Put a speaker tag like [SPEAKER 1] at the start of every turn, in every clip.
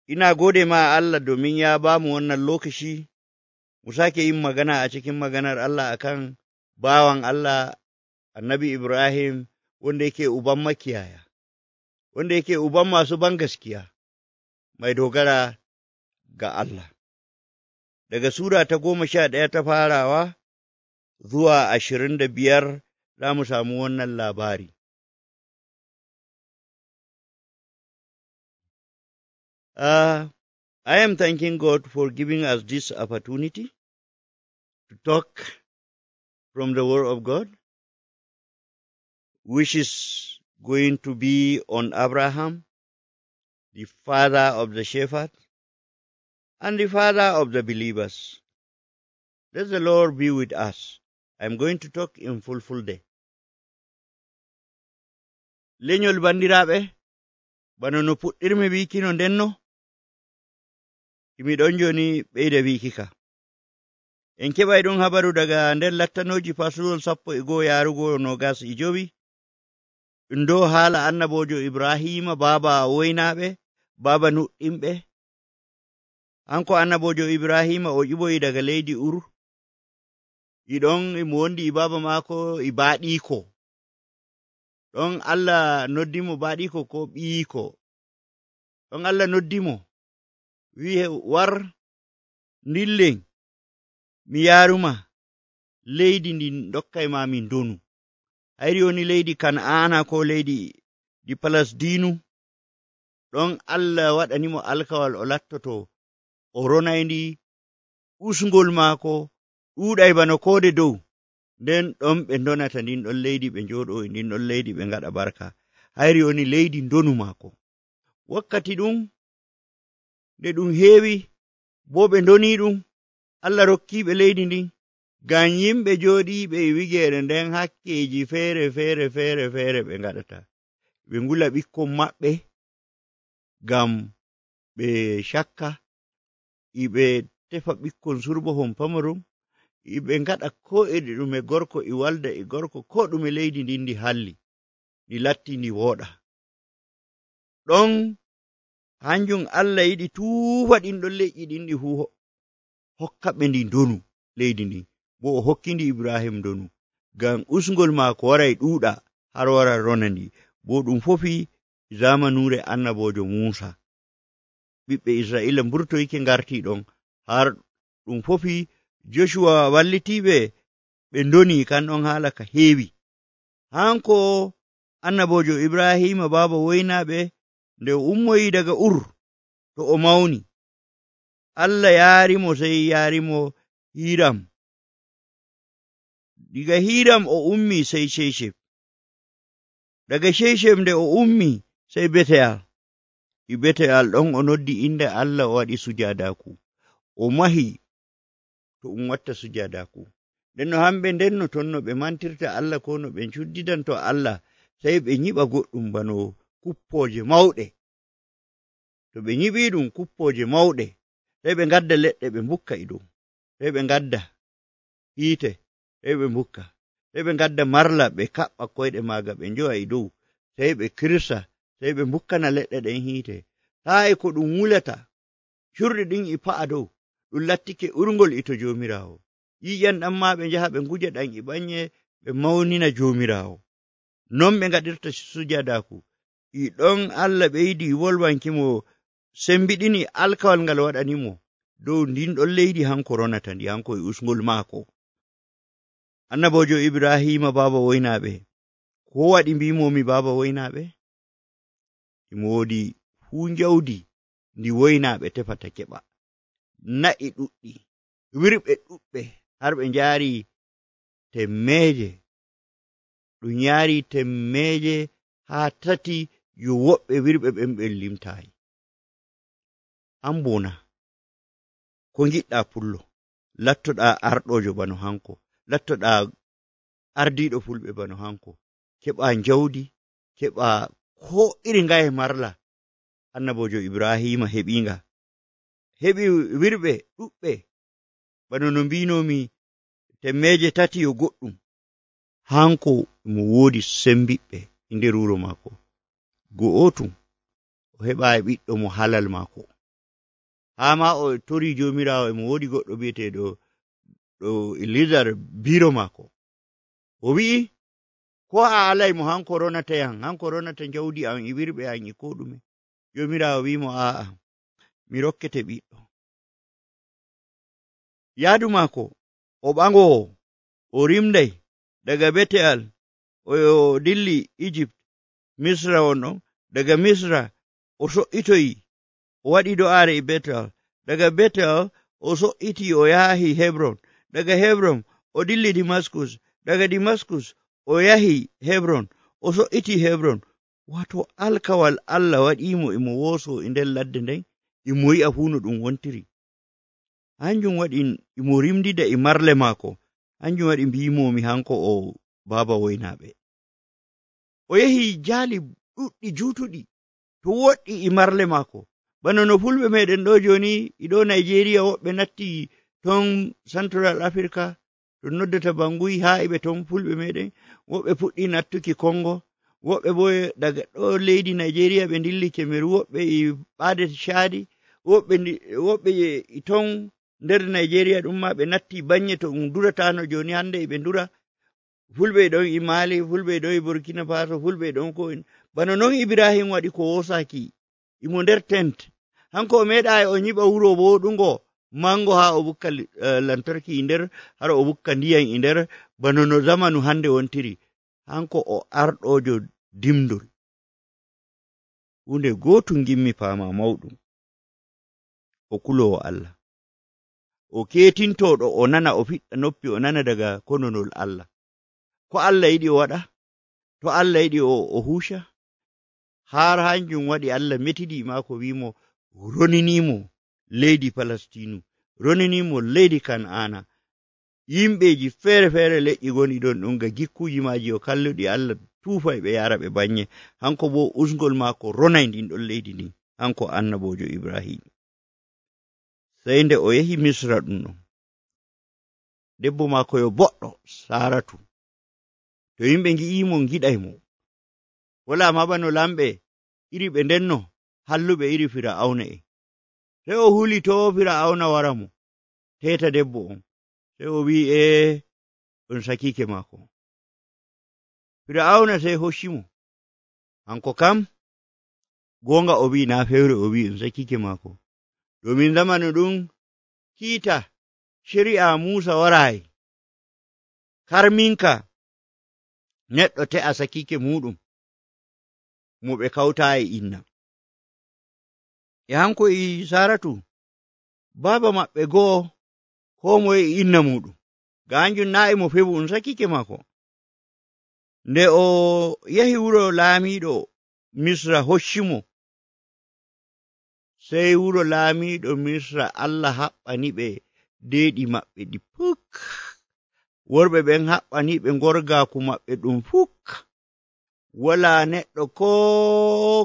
[SPEAKER 1] ina gode ma Allah domin ya ba mu wannan lokaci mu sake yin magana a cikin maganar Allah akan bawan Allah annabi Ibrahim wanda yake uban makiyaya, wanda yake uban masu bangaskiya, mai dogara ga Allah. Daga Sura ta 11 ta farawa zuwa 25 za mu samu wannan labari. I am thanking God for giving us this opportunity to talk from the Word of God, which is going to be on Abraham, the father of the shepherd, and the father of the believers. Let the Lord be with us. I'm going to talk in full day. Leñol bandiraɓe, bano no puɗɗirmi wiki no ndenno, miɗon joni ɓeyda wiki ka. En keɓay ɗum habaru daga nder lattanoji fasulol 11 yarugo 25, ɗum dow haala annabojo Ibrahima baba woynaɓe, baba nuɗɗinɓe. Hanko annabojo Ibrahima o ƴiɓoyi daga leydi Ur, iɗon imo wondi e baba maako e baaɗiko. Ɗon Allah noddimo baaɗiko ko ɓiyiko. Ɗon Allah noddimo wi'e war ndillen mi yaruma leydi ndin dokkay ma min donu. Hayri woni leydi Kan'ana ko leydi di Palasdinu. Ɗon Allah waɗanimo alkawal o lattoto o ronayndi, usgol maako ɗuuɗay bano koode dow. Nden ɗon ɓe donata ndin ɗon leydi, ɓe njooɗo e ndin ɗon leydi, ɓe ngaɗa barka. Hayri woni leydi ndonu maako. Wakkati ɗum nde ɗum heewi, bo ɓe ndoni ɗum, Allah rokkiɓe leydi ndin, ngam yimɓe jooɗiɓe e wigeere nden hakkeji feere ɓe ngaɗata. Ɓe ngula ɓikkon maɓɓe ngam ɓe cakka, iɓe tefa ɓikkon surbohon pamaron, iɓe ngaɗa ko e ɗume, gorko e walda e gorko, ko ɗume leydi ndin ndi halli, ndi latti ndi wooɗa. Ɗon hanjum Allah yiɗi tuufa ɗin ɗon leƴƴi ɗin ɗi fuu hokka ɓe ndi donu leydi ndin, bo o hokkindi Ibrahim donu, ngam usgol maako waray ɗuuɗa har wara rona ndi, bo ɗum fofi zamanure annabojo Musa. Ɓiɓɓe Isra'ila mburtoyke ngarti ɗon, har ɗum fofi Joshua wallitiɓe ɓe ndoni, kan ɗon haala ka heewi. Hanko annabojo Ibrahima baba woynaɓe, nde o ummoyi daga Ur to o mawni, Allah yaarimo, sey yaarimo Hiram. Diga Hiram o ummi sey Shechem. Daga Shechem nde o ummi sey Beteyal. I Beteyal ɗon o noddi inde Allah, o waɗi sujadaku, o mahi to watta sujadaku. Nden no hamɓe ndenno ton no ɓe mantirta Allah, ko no ɓe cuddidanto Allah, sey ɓe nyiɓa goɗɗum bano kuppoje mawɗe. To ɓe nyiɓi ɗum kuppoje mawɗe, sey ɓe ngadda leɗɗe ɓe mbukka e dow, sey ɓe ngadda hiite, sey ɓe mbukka, sey ɓe ngadda marla ɓe kaɓɓa koyɗe maaga ɓe njowa e dow, sey ɓe kirsa, sey ɓe mbukkana leɗɗe ɗen hiite. Haa e ko ɗum wulata, curɗi ɗin e pa'a dow, ɗum lattike urngol ito Joomiraawo. Ƴiƴam ɗan ma ɓe njaha ɓe nguja ɗan e ɓanye, ɓe mawnina Joomiraawo. Non ɓe ngaɗirta sujadaku. I ɗon Allah ɓeydi wolwankimo, sembiɗini alkawal ngal waɗanimo dow ndin ɗon leydi hanko ronata ndi, hanko e usgol maako. Annabojo Ibrahima baba woynaɓe, ko waɗi mbimomi baba woynaɓe? Imo woodi fuu njawdi ndi woynaɓe tefata keɓa, na'i ɗuɗɗi, wirɓe ɗuɓɓe, har ɓe njaari temmeje. Ɗum yaari temmeje haa 3 yo woɓɓe wirɓe ɓen ɓe limtayi. An bona ko ngiɗɗa pullo, lattoɗa arɗojo bano hanko, lattoɗa ardiɗo fulɓe bano hanko, keɓa njawdi, keɓa ko iri ngaye marla. Annabojo Ibrahima heɓinga, heɓi wirɓe ɗuɓɓe bano no mbinomi, temmeje 3 yo goɗɗum. Hanko mo woodi sembiɓɓe e nder wuro maako. Go'otum o heɓayi ɓiɗɗo mo halal maako, haa ma o tori jomirawo mo wodi goɗɗo bi'eteɗo Elizar biro maako, o wi'i ko a alay mo hanko ronata yan, hanko ronata jawdi an e wirɓe an e ko ɗume. Jomirawo wimo a'a, mi rokkete ɓiɗɗo. Yaadu maako o ɓangowo, o rimday daga Betel o dilli Egypt, Misra wonɗon. Daga Misra o so'itoyi o waɗi do'aare e Betel. Daga Betel o so'iti o yahi Hebron. Daga Hebron o dilli Damascus. Daga Damascus o yahi Hebron, o so'iti Hebron. Wato alkawal Allah waɗimo emo woso e nder ladde nden, emo yi'a fuu no ɗum wontiri. Hanjum waɗi emo rimdida e marle maako. Hanjum waɗi mbimomi hanko o baaba woynaaɓe. O yehi jaali ɗuɗɗi juutuɗi to woɗɗi e marle maako. Bano no fulɓe meɗen ɗo joni iɗo Nigeria woɓɓe natti ton Central Africa to noddata Bangui haa eɓe ton fulɓe meɗen, woɓɓe puɗɗi nattuki Congo, woɓɓe bo daga ɗo leydi Nigeria ɓe dilli Cameroon, woɓɓe e ɓaade Chadi, woɓɓe ton nder Nigeria ɗum ma ɓe natti banye to ɗum duratano joni hande eɓe dura. Fulɓe ɗon e Mali, fulɓe ɗon e Burkina Faso, fulɓe ɗon ko en. Bano non Ibrahim waɗi ko wosaki imo nder tent. Hanko o meeɗayi o nyiɓa wuro woɗungo mango haa o bukka lantarki nder, har o bukka ndiyam e nder, bano no zamanu hande wontiri. Hanko o arɗojo dimdol. Hunde gotum gimmi paama mawɗum, o kulowo Allah, o ketintoɗo, o nana, o fiɗɗa noppi, o nana daga kononol Allah. Ko Allah yiɗi o waɗa, to Allah yiɗi o husha. Har hanjum waɗi Allah metidi maako wimo roninimo leydi Palestinu, roninimo leydi Kan'ana. Yimɓeji feere-feere leƴƴi goni ɗon ɗum ga gikkuji maji o kalluɗi Allah tuufa ɓe yara ɓe banye. Hanko bo usgol maako ronay ndin ɗon leydi ndin, hanko annabojo Ibrahim. Sey nde o yehi Misra ɗum ɗon, debbo maako yo boɗɗo Saratu, to yimɓe ngi'imo giɗay mo. Wala ma bano lamɓe iri ɓe ndenno halluɓe iri Fir'auna en. Sey o huli to Fir'auna wara mo teta debbo on. Sey o wi'i on sakike maako. Fir'auna sey hoccimo. Hanko kam gonga o wi na fewre, o wi on sakike maako. Domin zamanu ɗum kiita shari'a Musa warayi karminka neɗɗo te'a sakike muɗum mo ɓe kawtayi inna. E hanko e Saratu baba maɓɓe go'o, ko moye e inna muɗum, ga hanjum na mo fewu on sakike maako. Nde o yahi wuro laamiɗo Misra hoccimo, sey wuro laamiɗo Misra Allah haɓɓani ɓe deeɗi maɓɓe ɗi puk. Worɓe ɓen haɓɓani ɓe gorgaaku maɓɓe ɗum fuk. Wala neɗɗo ko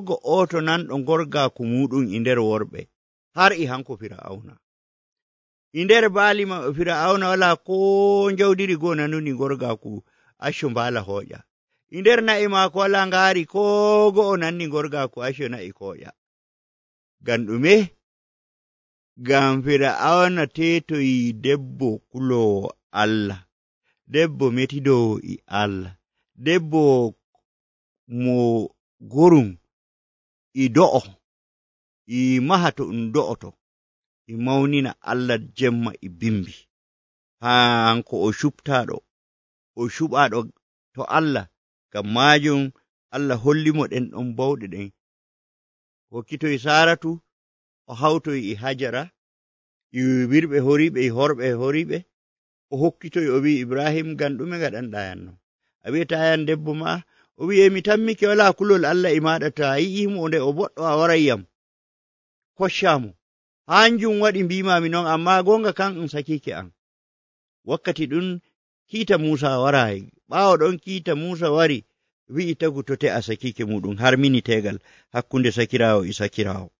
[SPEAKER 1] go'oto nanɗo gorgaaku muɗum e nder worɓe, har e hanko Fir'auna. E nder baali maɓɓe Fir'auna wala ko jawdiri goo nanuni gorgaaku acco mbaala hooƴa. E nder na'i maako wala ngaari ko go'o nanni gorgaaku acco na'i kooƴa. Ngam ɗume? Ngam Fir'auna tetoyi debbo kulowo Allah, debbo metidowo e Allah, debbo mo gorum e do'o, e maha to ɗum do'oto, e mawnina Allah jemma e bimbi. Hanko o cuptaɗo, o cuɓaɗo to Allah. Ngam majum Allah hollimo ɗen ɗon bawɗe ɗen. Hokkitoy Saratu, o hawtoy e Hajara, e wirɓe horiɓe, e horɓe horiɓe. O hokkitoy o wi Ibrahim, ngam ɗume ngaɗanɗa yanno? A wi'ata yan debbo ma? O wi mi tammike wala kulol Allah e maɗa, to a yi'imo nde o boɗɗo a waray yam koccamo. Hanjum waɗi mbimami non, amma gonga kan on sakike an. Wakkati ɗum kiita Musa warayi, ɓaawo ɗon kiita Musa wari, wi'i tagu to te'a sakike muɗum har minitegal hakkunde sakirawo e sakirawo.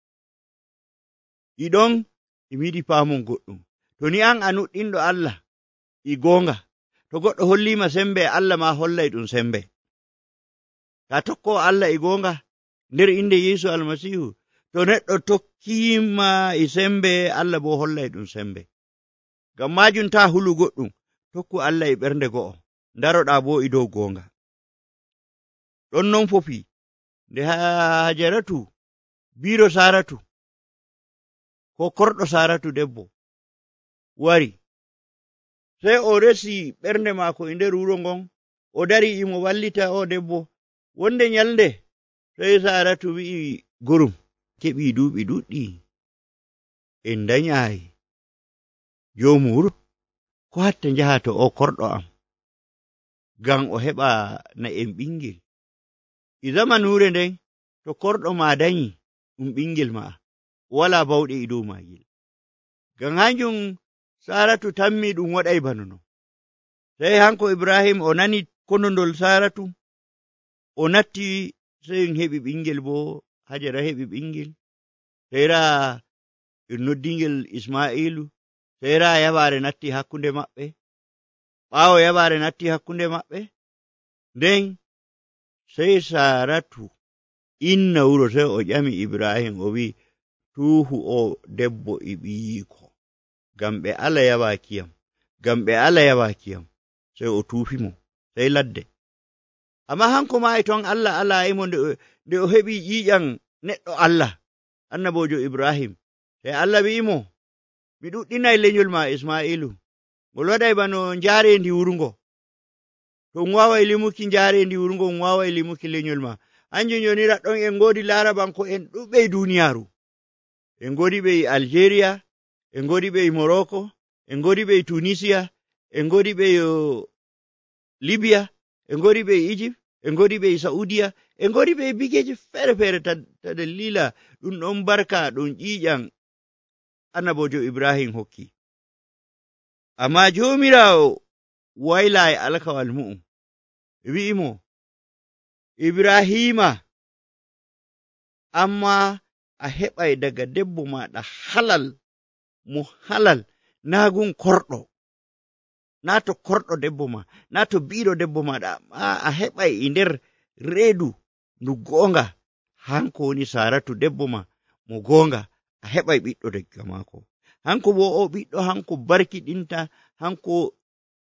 [SPEAKER 1] Iɗon imi yiɗi paamon goɗɗum, to ni an a nuɗɗinɗo Allah e gonga, to goɗɗo hollima sembe, Allah ma hollay ɗum sembe. Ta tokko Allah e gonga nder inde Yesu Almasihu, to neɗɗo tokkima e sembe Allah bo hollay ɗum sembe. Ngam majum ta hulu goɗɗum, tokku Allah e ɓernde go'o, daroɗa bo e dow gonga. Ɗon non fofi nde Hajaratu biro Saratu ko korɗo Saratu debbo wari, sey o resi ɓernde maako e nder wuro ngon, o dari imo wallita o debbo. Wonde nyalnde sey Saratu wi'i gurum, keɓi duuɓi ɗuɗɗi en danyayi joomu wuro, ko hatta njaha to o korɗo am ngam o heɓa na en ɓingel. E zamanure nden to korɗo ma danyi ɗum ɓingel ma wala bawɗe e dow magel. Ngam hanjum Saratu tammi ɗum waɗay bano non. Sey hanko Ibrahim o nani konondol Saratu, o natti, sey en heɓi ɓingel bo, Hajara heɓi ɓingel, seyra en noddingel Isma'ilu, seyra yabare natti hakkunde maɓɓe. Ɓaawo yabare natti hakkunde maɓɓe, nden sey Saratu inna wuro, sey o ƴami Ibrahim o wi, tuuhu o debbo e ɓiyiko, ngam ɓe ala yabakiyam, ngam ɓe ala yabakiyam. Sey o tuufimo, sey ladde. Amma hanko ma e ton Allah alayimo nde o heɓi ƴiƴam neɗɗo Allah, annabojo Ibrahim. Sey Allah wi'imo, mi ɗuɗɗinay lenyol ma Isma'ilu, ngol waɗay bano njaarendi wurungo. To on waaway limuki njaarendi wurungo, on waaway limuki lenyol ma. Hanjum joni raɗɗon en ngoodi Larabanko en ɗuɓɓe e duniyaaru. En ngoodi ɓe e Algeria, en ngoodi ɓe e Morocco, en ngoodi ɓe e Tunisia, en ngoodi ɓe e Libya, en ngoodi ɓe e Egypt, en ngoodi ɓe e Saudiya, en ngoodi ɓe e bigeje fere-fere ta dalila ɗum ɗon barka ɗum ƴiƴam annabojo Ibrahim hokki. Amma Jomirawo wayla e alkawal mu'um, wi'imo, Ibrahima, amma a heɓay daga debbo maɗa halal mo halal, naa gun korɗo, naa to korɗo debbo ma, naa to biɗo debbo maɗa, a heɓay e nder reedu ndu goonga, hanko woni Saratu debbo ma mo goonga, a heɓay ɓiɗɗo daga maako. Hanko bo o ɓiɗɗo hanko barkiɗinta, hanko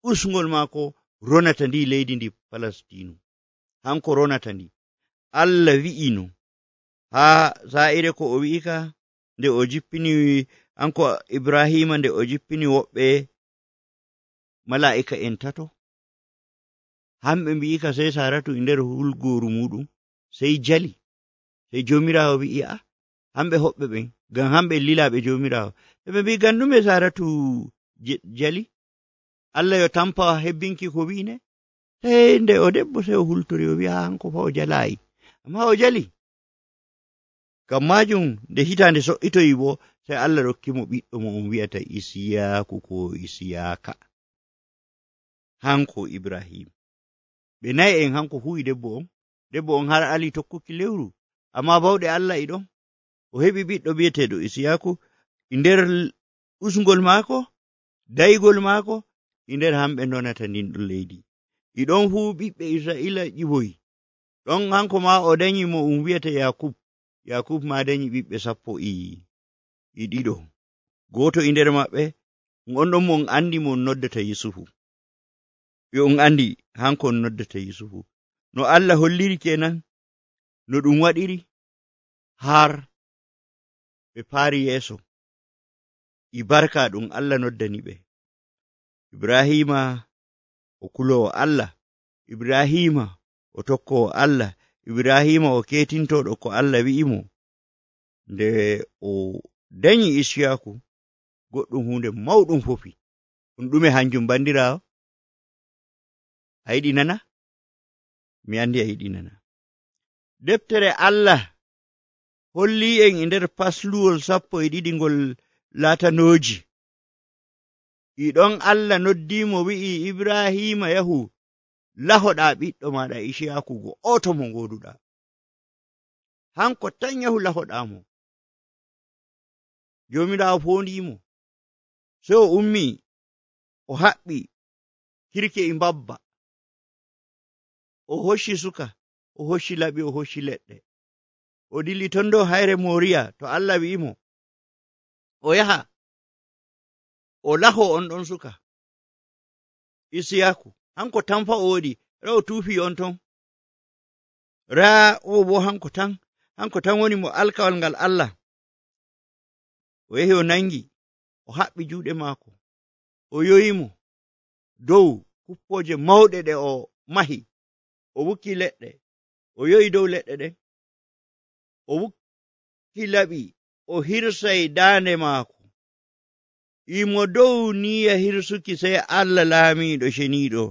[SPEAKER 1] usngol maako ronata ndi leydi ndi Palestinu, hanko ronata ndi. Allah wi'ino haa sa'ire ko o wi'ika nde o jippini hanko Ibrahima, nde o jippini woɓɓe mala'ika en tato, hamɓe mbi'ika sey Saratu e nder hulgoru muɗum sey jali. Sey Jomirawo wi'i, hamɓe hoɓɓe ɓen, ngam hamɓe lilaɓe Jomirawo, ɓe mbi ngam ɗume Saratu jali? Allah yo tampa hebbinki ko wi'ine? Sey nde o debbo sey o hultori o wi'a hanko fa o jalayi, amma o jali. Ngam majum nde hitande so'itoyi bo, sey Allah rokkimo ɓiɗɗo mo on wi'ata Isiyaku ko Isiyaka, hanko Ibrahim. Ɓe nayi en hanko huwi debbo on har ali tokkuki lewru, amma bawɗe Allah e ɗon. O heɓi ɓiɗɗo bi'eteɗo Isiyaku e nder usngol maako, daygol maako, e nder hamɓe donata ndin ɗon leydi. E ɗon fuu ɓiɓɓe Isra'ila ƴiwoyi. Ɗon hanko ma o danyi mo um wi'ata Yakub ma danyi ɓiɓɓe 12. Goto e nder maɓɓe on ɗon mo on andi mo on noddata Yusufu. Ɓe on andi hanko on noddata Yusufu. No Allah holliri kenan no ɗum waɗiri har ɓe paari yeeso e barka ɗum Allah noddani ɓe. Ibrahima o kulowo Allah, Ibrahima o tokkowo Allah, Ibrahima o ketintoɗo ko Allah wi'imo. Nde o danyi Isiyaku, goɗɗum hunde mawɗum fofi. Ɗum ɗume hanjum bandirawo? A yiɗi nana? Mi andi a yiɗi nana. Deftere Allah holli en e nder pasluwol 12 ngol laatanoji. E ɗon Allah noddimo wi'i Ibrahima yahu lahoɗa ɓiɗɗo maɗa Isiyaku go oto mo ngoduɗa. Hanko tan yahu lahoɗamo. Jomirawo fondimo, sey o ummi o haɓɓi kirke e mbabba, o hocci suka, o hocci laɓi, o hocci leɗɗe, o dilli ton dow hayre Moriya to Allah wi'imo o yaha o laho on ɗon suka Isiyaku, hanko tan fa o woɗi, raa o tuufi on ton, raa o bo hanko tan woni mo alkawal ngal Allah. O yahi o nangi, o haɓɓi juuɗe maako, o yoyimo dow kuppooje mawɗe ɗe o mahi, o wukki leɗɗe, o yoyi dow leɗɗe ɗen, o wukki laɓi, o hirsay daande maako, imo dow niya hirsuki sey Allah laamiiɗo ceniiɗo,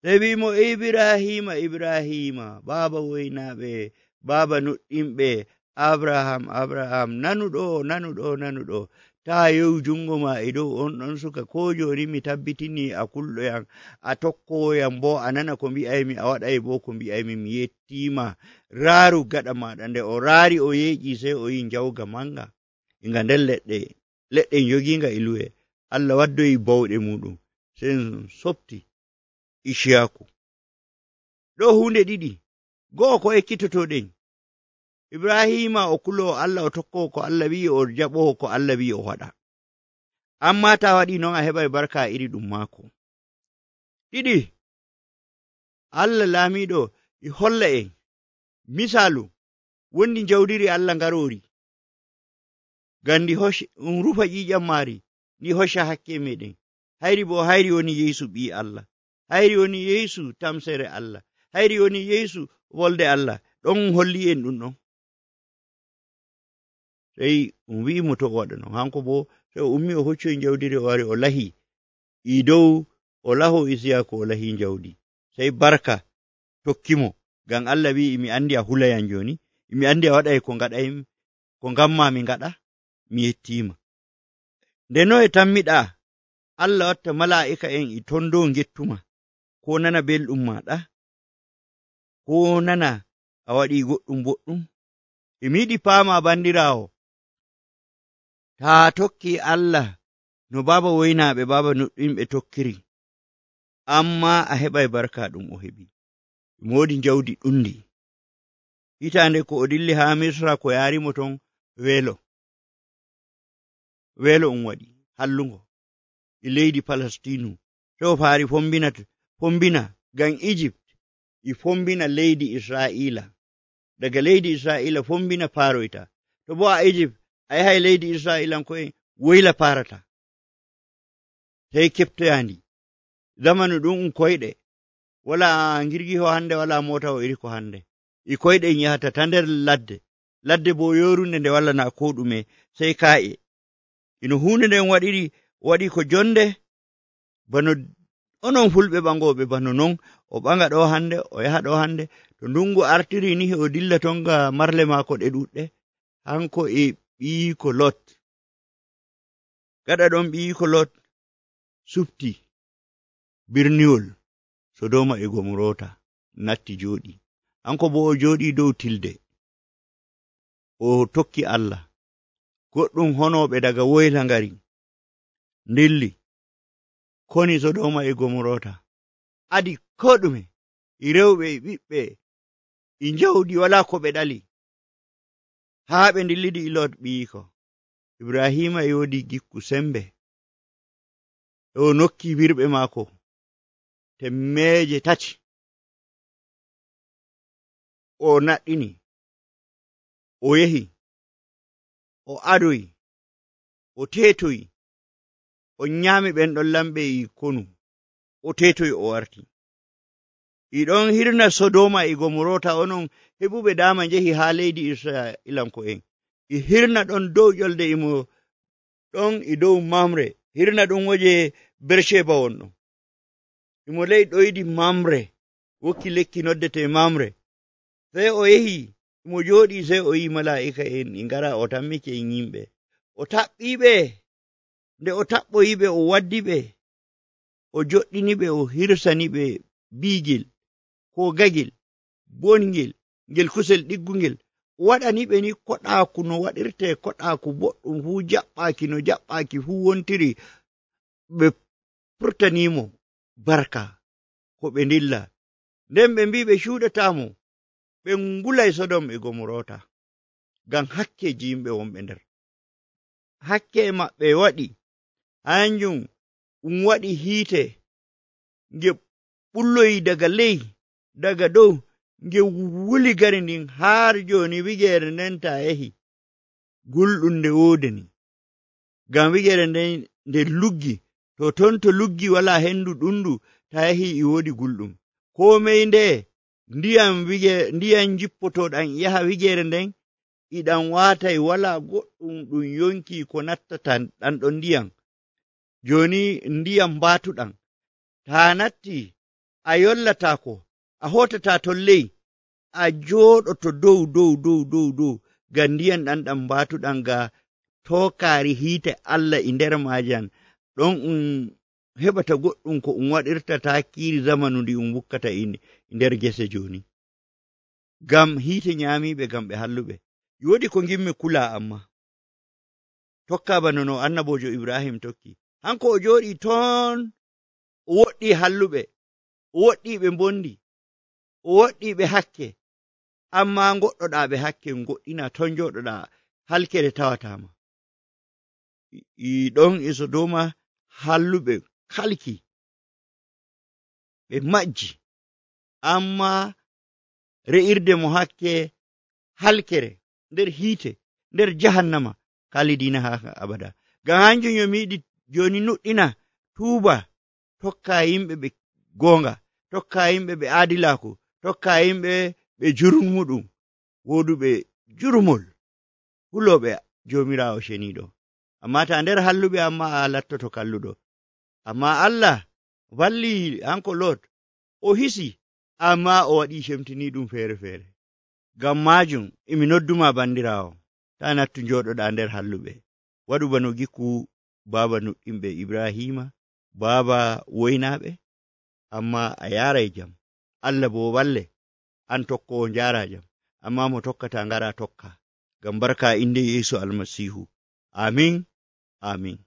[SPEAKER 1] sey wi'imo Ibrahima, Ibrahima, baaba woynaaɓe, baaba nuɗɗinɓe, Abraham, nanuɗo, taa yow jungo ma e dow on ɗon suka, ko jooni mi tabbitini a kulɗoyam, a tokkoyam bo a nana ko mbi'aymi, a waɗay bo ko mbi'aymi, mi yettiima, raaru gaɗa maɗa. Nde o raari o yeeƴi sey o yi njawga manga inga nder leɗɗe joginga e luwe. Allah waddoyi bawɗe muɗum sey softi Isiyaku. Ɗo hunde ɗiɗi, go'o ko ekkitotoɗen, Ibrahima o kulowo Allah, o tokkowo ko Allah wi'i, o jaɓowo ko Allah wi'i o waɗa. Amma ta waɗi non a heɓay barka iri ɗum maako. Ɗiɗi, Allah laamiɗo e holla en misaalu wondi jawdiri Allah ngarori, ngam ndi rufa ƴiƴam maari, ndi hocca hakke meɗen. Hayri bo hayri woni Yeesu ɓi Allah, hayri woni Yeesu tamsere Allah, hayri woni Yeesu wolde Allah. Ɗon holli en ɗum ɗon. Sey wi'imo to o waɗa non, hanko bo sey o ummi o hoccoyi jawdiri, o wari o lahi i dow, o laho Isiyaku, o lahi jawdi, sey barka tokkimo, ngam Allah wi'i mi andi a hulayam joni, mi andi a waɗay ko ngamma mi ngaɗa, mi yettiima. Nde no e tammiɗa Allah watta mala'ika en e ton dow gettuma, ko nana belɗum maɗa, ko nana a waɗi goɗɗum boɗɗum, emi yiɗi paama bandiraawo, taa tokki Allah no baaba woynaaɓe, baaba nuɗɗinɓe tokkiri, amma a heɓay barka ɗum o heɓi. Moodi jawdi ɗundi. Hitaande ko o dilli haa Misra, ko yaarimo ton weelo waɗi hallungo e leydi Palestinu, sey o faari fombina ngam Egypt e fombina leydi Israa'ila, daga leydi Israa'ila fombina paroyta. To bo a Egypt a yahay leydi Israa'ilanko'en woyla parata, sey keftoyandi. Zamanu ɗum koyɗe, wala ngirgiho hande, wala mota o iri ko hande, e koyɗe yahata ta nder ladde bo yorunde nde wala na ko ɗume, sey ka'e. Ino hunde nden waɗi ko jonde, bano onon fulɓe ɓangoɓe bano non, o ɓanga ɗo hande, o yaha ɗo hande, to ndungu artiri ni o dilla ton ga marle maako ɗe ɗuɗɗe, hanko e ɓiyiko Lot. Gaɗa ɗon ɓiyiko Lot supti birniwol Sodoma e Gomorota, natti jooɗi, hanko bo o jooɗi dow tilde, o tokki Allah. Goɗɗum honoɓe daga woyla ngari ndilli koni Sodoma e Gomorota, adi ko ɗume, e rewɓe e ɓiɓɓe e jawdi, wala ko ɓe ɗali, haa ɓe ndillidi e Lot ɓiyiko. Ibrahima yodi gikku sembe, o nokki wirɓe maako 300, o naɗɗini, o yehi, o adoyi, o tetoyi, o nyami ɓen ɗon lamɓe e konu, o tetoyi, o warti. Iɗon hirna Sodoma e Gomorota, onon heɓuɓe dama njehi haa leydi Isra'ilanko'en, e hirna ɗon dow ƴolde, imo ɗon e dow Mamre, hirna ɗum woje Bersheba wonɗon, imo ley ɗoydi Mamre, wokki lekki noddete Mamre. Sey o yehi mo jooɗi, sey o yi mala'ika en e ngara, o tammike en yimɓe, o taɓɓiɓe. Nde o taɓɓoyiɓe, o waddiɓe, o joɗɗiniɓe, o hirsaniɓe biigel ko gagel bongel, ngel kusel ɗiggungel, o waɗaniɓe ni koɗaaku no waɗirte koɗaaku boɗɗum fuu, jaɓɓaaki no jaɓɓaaki fuu wontiri. Ɓe furtanimo barka ko ɓe ndilla, nden ɓe mbi ɓe cuuɗatamo, ɓe ngulay Sodom e Gomorota. ngam hakkeji yimɓe wonɓe nder. Hakke maɓɓe waɗi hanjum waɗi hiite nge ɓulloyi daga ley daga dow nge wuli gari ndin har joni wigere nden ta yahi gulɗum nde wodani, ngam wigere nden nde luggi to ton to luggi wala hendu ɗundu ta yahi e wodi gulɗum. Komai nde ndiyam jippotoɗam yaha wigere nden iɗan watai wala goɗɗum ɗum yonki ko nattata ɗan ɗon ndiyam. Joni ndiyam batuɗam ta natti a yollatako a hotata ton ley a joɗoto dow ngam ndiyam ɗan batuɗam ga tokari hiite Allah e nder majan ɗon heɓata goɗɗum ko waɗirta takiri zamanu ndi wukkata nder gese joni. Ngam hiite nyamiɓe ngam ɓe halluɓe. Wodi ko gimmi kula amma tokka bano no annabojo Ibrahim tokki. Hanko o joɗi ton o woɗɗi halluɓe, o woɗɗi ɓe mbondi, o woɗɗi ɓe hakke, amma goɗɗoɗa ɓe hakke goɗɗina ton joɗoɗa halkere tawatama. Ɗon e Sodoma halluɓe kalki ɓe majji, amma re'irde mo hakke halkere nder hiite nder jahannama kalidina ha abada. Ngam hanjum yomi yiɗi joni nuɗɗina tuuba tokka yimɓe ɓe gonga, tokka yimɓe ɓe adilaku, tokka yimɓe ɓe jurmuɗum, woduɓe jurmol, huloɓe jomirawo sheniɗo. Amma ta nder halluɓe amma a lattoto kalluɗo. Amma Allah walli hanko Lot o hisi, amma o waɗi shemtini ɗum fere. Ngam majum emi nodduma bandirawo ta nattu joɗoɗa nder halluɓe, waɗu bano gikku baba nuɗɗinɓe Ibrahima, baba woynaɓe, amma a yarai jam. Allah bo walle an tokkowo njara jam, amma mo tokkata ngara tokka, ngam barka inde Yesu Almasihu. Amin.